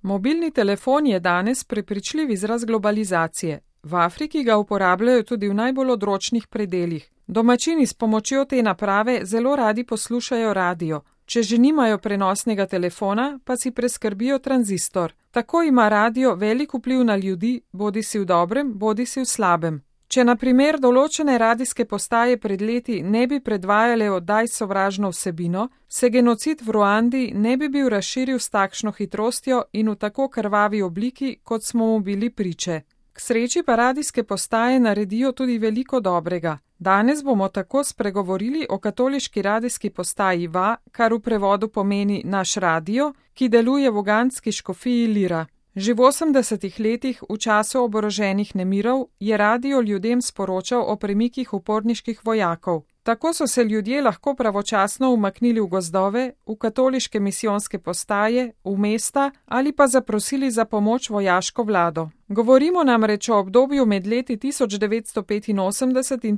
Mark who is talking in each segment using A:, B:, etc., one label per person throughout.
A: Mobilni telefon je danes prepričljiv izraz globalizacije. V Afriki ga uporabljajo tudi v najbolj odročnih predelih. Domačini s pomočjo te naprave zelo radi poslušajo radio. Če že nimajo prenosnega telefona, pa si preskrbijo tranzistor. Tako ima radio velik vpliv na ljudi, bodisi v dobrem, bodisi v slabem. Če na primer določene radijske postaje pred leti ne bi predvajale oddaj s sovražno vsebino, se genocid v Ruandi ne bi bil razširil s takšno hitrostjo in v tako krvavi obliki, kot smo mu bili priče. K sreči pa radijske postaje naredijo tudi veliko dobrega. Danes bomo tako spregovorili o katoliški radijski postaji VA, kar v prevodu pomeni naš radio, ki deluje v ugandski škofiji Lira. Že v 80-ih letih, v času oboroženih nemirov, je radio ljudem sporočal o premikih uporniških vojakov. Tako so se ljudje lahko pravočasno umaknili v gozdove, v katoliške misijonske postaje, v mesta ali pa zaprosili za pomoč vojaško vlado. Govorimo namreč o obdobju med leti 1985 in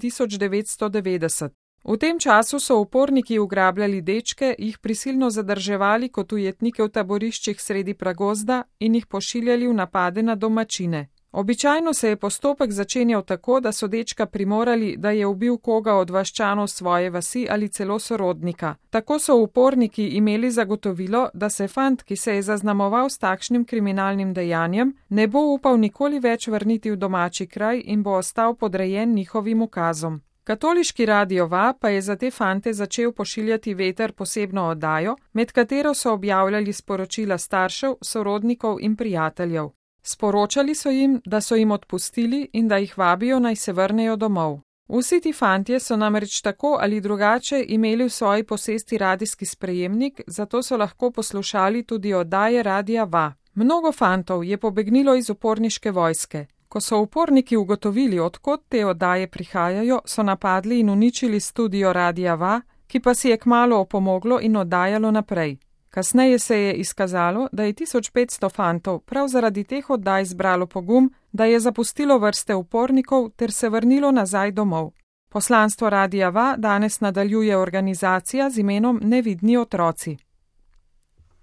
A: 1990. V tem času so uporniki ugrabljali dečke, jih prisilno zadrževali kot ujetnike v taboriščih sredi pragozda in jih pošiljali v napade na domačine. Običajno se je postopek začenjal tako, da so dečka primorali, da je ubil koga od vaščanov svoje vasi ali celo sorodnika. Tako so uporniki imeli zagotovilo, da se fant, ki se je zaznamoval s takšnim kriminalnim dejanjem, ne bo upal nikoli več vrniti v domači kraj in bo ostal podrejen njihovim ukazom. Katoliški radio VA pa je za te fante začel pošiljati Veter posebno oddajo, med katero so objavljali sporočila staršev, sorodnikov in prijateljev. Sporočali so jim, da so jim odpustili in da jih vabijo, naj se vrnejo domov. Vsi ti fantje so namreč tako ali drugače imeli v svoji posesti radijski sprejemnik, zato so lahko poslušali tudi oddaje radia VA. Mnogo fantov je pobegnilo iz uporniške vojske. Ko so uporniki ugotovili, odkot te oddaje prihajajo, so napadli in uničili studio radia VA, ki pa si je kmalu opomoglo in oddajalo naprej. Kasneje se je izkazalo, da je 1500 fantov prav zaradi teh oddaj zbralo pogum, da je zapustilo vrste upornikov ter se vrnilo nazaj domov. Poslanstvo radia VA danes nadaljuje organizacija z imenom Nevidni otroci.